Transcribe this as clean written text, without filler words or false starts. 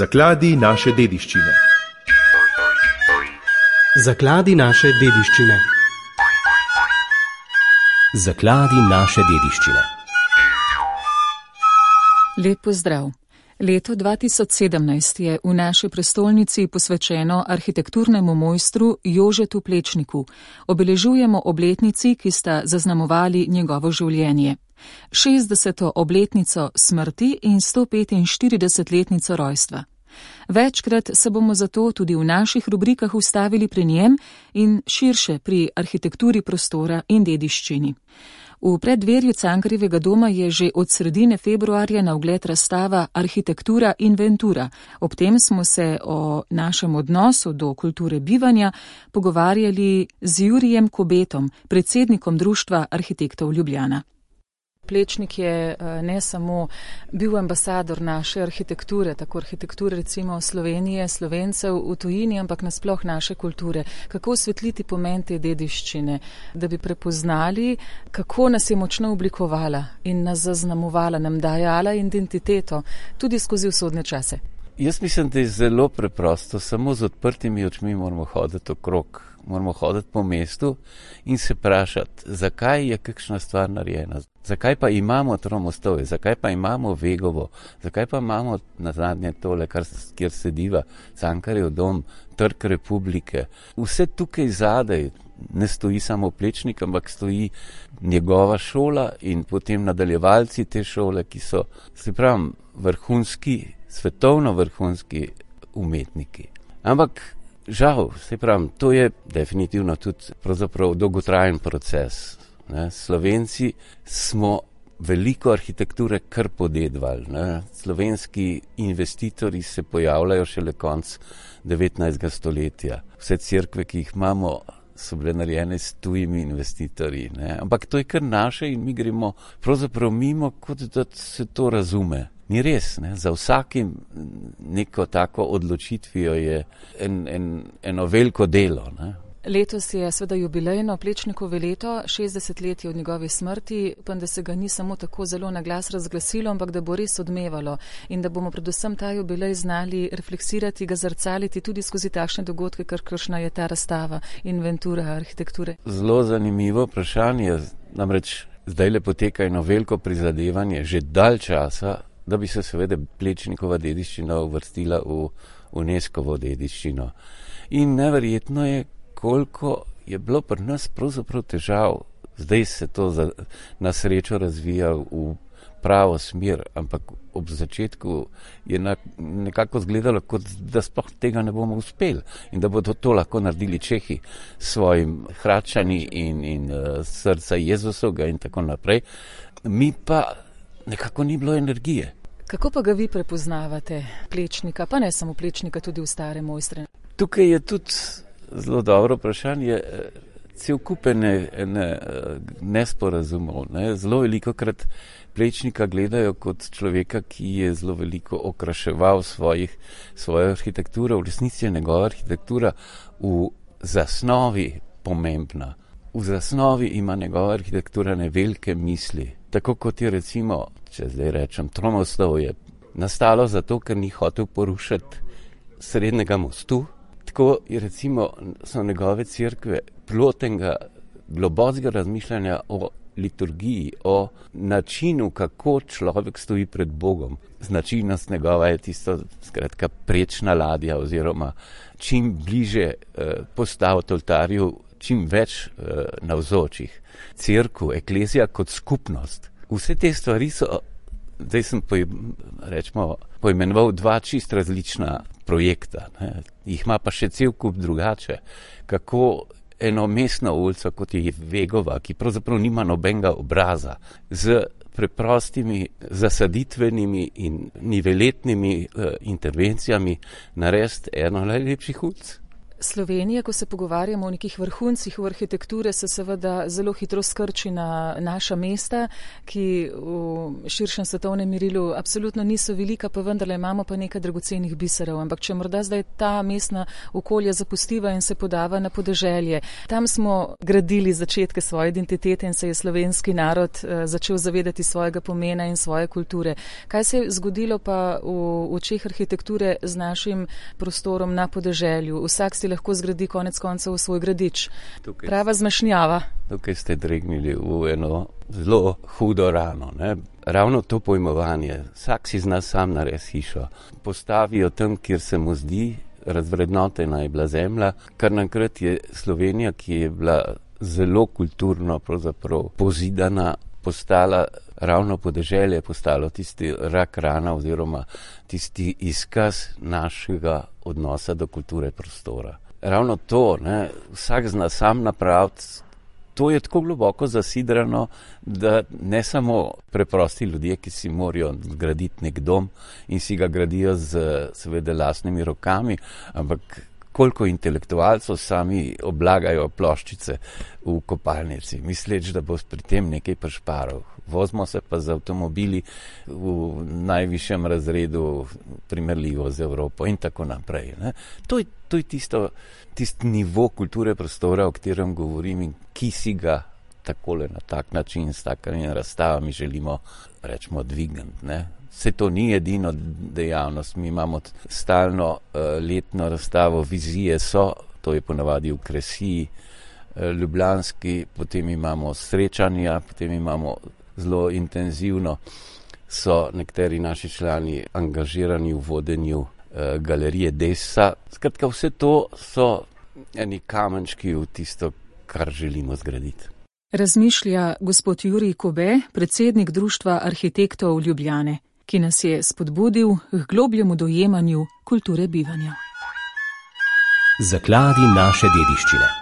Zakladi naše dediščine. Zakladi naše dediščine. Zakladi naše dediščine. Lep pozdrav. Leto 2017 je v naši prestolnici posvečeno arhitekturnemu mojstru Jožetu Plečniku. Obeležujemo obletnici, ki sta zaznamovali njegovo življenje. 60. obletnico smrti in 145-letnico rojstva. Večkrat se bomo zato tudi v naših rubrikah ustavili pri njem in širše pri arhitekturi prostora in dediščini. V preddverju Cankarjevega doma je že od sredine februarja na ogled razstava Arhitektura Inventura. Ob tem smo se o našem odnosu do kulture bivanja pogovarjali z Jurijem Kobetom, predsednikom Društva arhitektov Ljubljana. Plečnik je ne samo bil ambasador naše arhitekture, tako arhitekture recimo Slovenije, Slovencev v tujini, ampak nasploh naše kulture. Kako osvetliti pomen te dediščine, da bi prepoznali, kako nas je močno oblikovala in nas zaznamovala, nam dajala identiteto, tudi skozi usodne čase. Jaz mislim, da je zelo preprosto, samo z odprtimi očmi moramo hoditi okrog, moramo hoditi po mestu in se vprašati, zakaj je kakšna stvar narejena, zakaj pa imamo Tromostovje, zakaj pa imamo Vegovo, zakaj pa imamo nazadnje tole, kjer sediva Cankarjev dom, Trg Republike. Vse tukaj zadaj ne stoji samo Plečnik, ampak stoji njegova šola in potem nadaljevalci te šole, ki so, se pravim, vrhunski, svetovno vrhunski umetniki. Ampak žal, se pravim, to je definitivno tudi pravzaprav dolgotrajen proces. Ne? Slovenci smo veliko arhitekture kar podedvali. Ne? Slovenski investitorji se pojavljajo šele konc 19. stoletja. Vse cerkve, ki jih imamo, so bile narejene s tujimi investitorji. Ne? Ampak to je kar naše in mi gremo pravzaprav mimo, kot da se to razume. Ni res, ne? Za vsakim neko tako odločitvijo je eno veliko delo. Ne? Letos je seveda jubilejno Plečnikovo leto, 60 let je od njegove smrti, pa da se ga ni samo tako zelo na glas razglasilo, ampak da bo res odmevalo in da bomo predvsem ta jubilej znali refleksirati, ga zrcaliti tudi skozi takšne dogodke, kakšna je ta razstava Inventura arhitekture. Zelo zanimivo vprašanje, namreč zdajle poteka eno veliko prizadevanje že dalj časa, da bi se seveda Plečnikova dediščina uvrstila v UNESCO-vo dediščino. In neverjetno je, koliko je bilo pri nas pravzaprav težav. Zdaj se to na srečo razvija v pravo smer, ampak ob začetku je nekako izgledalo, kot da sploh tega ne bomo uspeli in da bodo to lahko naredili Čehi s svojim Hradčani in Srca Jezusovega in tako naprej. Mi pa nekako ni bilo energije. Kako pa ga vi prepoznavate, Plečnika, pa ne samo Plečnika, tudi v stare mojstre? Tukaj je tudi zelo dobro vprašanje, cel kup nesporazumov. Ne? Zelo velikokrat Plečnika gledajo kot človeka, ki je zelo veliko okraševal svojo arhitekturo. V resnici je njegova arhitektura v zasnovi pomembna. V zasnovi ima njegova arhitektura velike misli. Tako kot je recimo, če zdaj rečem, Tromostovje nastalo zato, ker ni hotel porušiti srednjega mostu. Tako je recimo so njegove cerkve plod enega globokega razmišljanja o liturgiji, o načinu, kako človek stoji pred Bogom. Značilnost njegova je tisto, skratka, prečna ladja oziroma čim bliže postaviti oltarju, čim več navzočih. Cerkev, eklezija kot skupnost. Vse te stvari so, zdaj sem poimenoval dva čist različna projekta. Ne. Jih ima pa še cel kup drugače. Kako eno mestno ulico, kot je Vegova, ki pravzaprav nima nobenega obraza, z preprostimi zasaditvenimi in niveletnimi intervencijami narediti eno najlepših ulic. Slovenija, ko se pogovarjamo o nekih vrhuncih v arhitekture, se seveda zelo hitro skrči na naša mesta, ki v širšem svetovnem merilu absolutno niso velika, pa vendarle imamo pa nekaj dragocenih biserov. Ampak če morda zdaj ta mestna okolja zapustiva in se podava na podeželje, tam smo gradili začetke svoje identitete in se je slovenski narod začel zavedati svojega pomena in svoje kulture. Kaj se je zgodilo pa v očeh arhitekture z našim prostorom na podeželju? Vsak si lahko zgradi konec koncev svoj gradič. Prava zmešnjava. Tukaj ste dregnili v eno zelo hudo rano. Ne? Ravno to pojmovanje. Vsak si zna sam narediti hišo. Postavijo tam, kjer se mu zdi, razvrednotena je bila zemlja. Kar naenkrat je Slovenija, ki je bila zelo kulturno pravzaprav pozidana, postala ravno podeželje, postalo tisti rak rana oziroma tisti izkaz našega odnosa do kulture prostora. Ravno to, ne, vsak zna sam napraviti, to je tako globoko zasidrano, da ne samo preprosti ljudje, ki si morajo zgraditi nek dom in si ga gradijo z seveda lastnimi rokami, ampak koliko intelektualcev sami oblagajo ploščice v kopalnici, misleč, da bo pri tem nekaj prišparov. Vozimo se pa z avtomobili v najvišjem razredu primerljivo z Evropo in tako naprej. Ne? To je tisti nivo kulture prostora, o katerem govorim in ki si ga takole na tak način s takimi razstavami želimo, rečemo, dvigniti. Ne? Se to ni edino dejavnost, mi imamo stalno letno razstavo Vizije so, to je ponavadi v Kresiji, ljubljanski, potem imamo srečanja, potem imamo zelo intenzivno, so nekateri naši člani angažirani v vodenju galerije Dessa. Skratka, vse to so eni kamenčki v tisto, kar želimo zgraditi. Razmišlja gospod Jurij Kobe, predsednik Društva arhitektov Ljubljane, ki nas je spodbudil k globljemu dojemanju kulture bivanja. Zakladi naše dediščine.